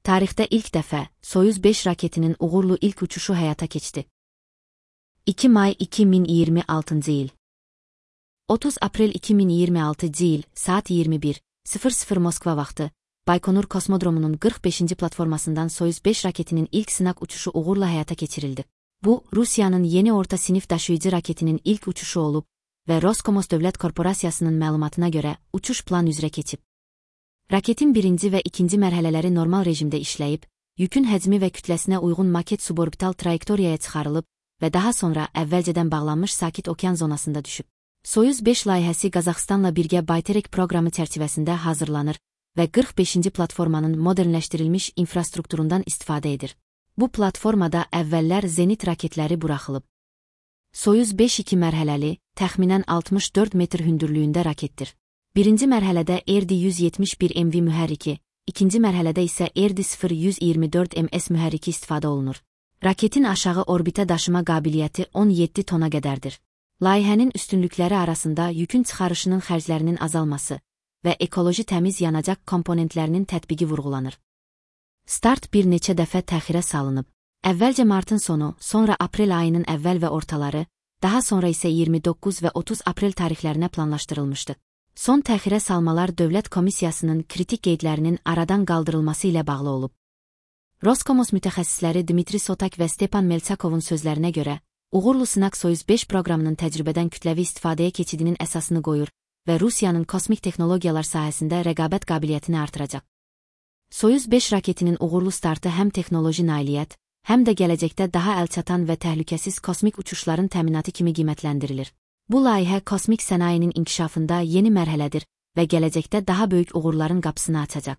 Tarixdə ilk dəfə Soyuz 5 raketinin uğurlu ilk uçuşu həyata keçdi. 2 may 2026 il. 30 aprel 2026 il, saat 21:00 Moskva vaxtı, Baykonur kosmodromunun 45. platformasından Soyuz 5 raketinin ilk sınaq uçuşu uğurla həyata keçirildi. Bu, Rusiyanın yeni orta sinif daşıyıcı raketinin ilk uçuşu olub və Roskosmos Dövlət Korporasiyasının məlumatına görə uçuş plan üzrə keçib. Raketin birinci və ikinci mərhələləri normal rejimdə işləyib, yükün həcmi və kütləsinə uyğun maket suborbital trayektoriyaya çıxarılıb və daha sonra əvvəlcədən bağlanmış sakit okean zonasında düşüb. Soyuz 5 layihəsi Qazaxstanla birgə Bayterek proqramı çərçivəsində hazırlanır və 45. platformanın modernləşdirilmiş infrastrukturundan istifadə edir. Bu platformada əvvəllər zenit raketləri buraxılıb. Soyuz 5-2 mərhələli, təxminən 64 metr hündürlüyündə raketdir. Birinci mərhələdə RD-171 MV mühərriki, ikinci mərhələdə isə RD-0-124 MS mühərriki istifadə olunur. Raketin aşağı orbitə daşıma qabiliyyəti 17 tona qədərdir. Layihənin üstünlükləri arasında yükün çıxarışının xərclərinin azalması və ekoloji təmiz yanacaq komponentlərinin tətbiqi vurğulanır. Start bir neçə dəfə təxirə salınıb. Əvvəlcə martın sonu, sonra aprel ayının əvvəl və ortaları, daha sonra isə 29 və 30 aprel tarixlərinə planlaşdırılmışdı. Son təxirə salmalar Dövlət Komissiyasının kritik qeydlərinin aradan qaldırılması ilə bağlı olub. Roskosmos mütəxəssisləri Dmitri Sotak və Stepan Meltsakovun sözlərinə görə, uğurlu sınaq Soyuz 5 proqramının təcrübədən kütləvi istifadəyə keçidinin əsasını qoyur və Rusiyanın kosmik texnologiyalar sahəsində rəqabət qabiliyyətini artıracaq. Soyuz 5 raketinin uğurlu startı həm texnoloji nailiyyət, həm də gələcəkdə daha əlçatan və təhlükəsiz kosmik uçuşların təminatı kimi qiymətləndirilir. Bu layihə kosmik sənayinin inkişafında yeni mərhələdir və gələcəkdə daha böyük uğurların qapısını açacaq.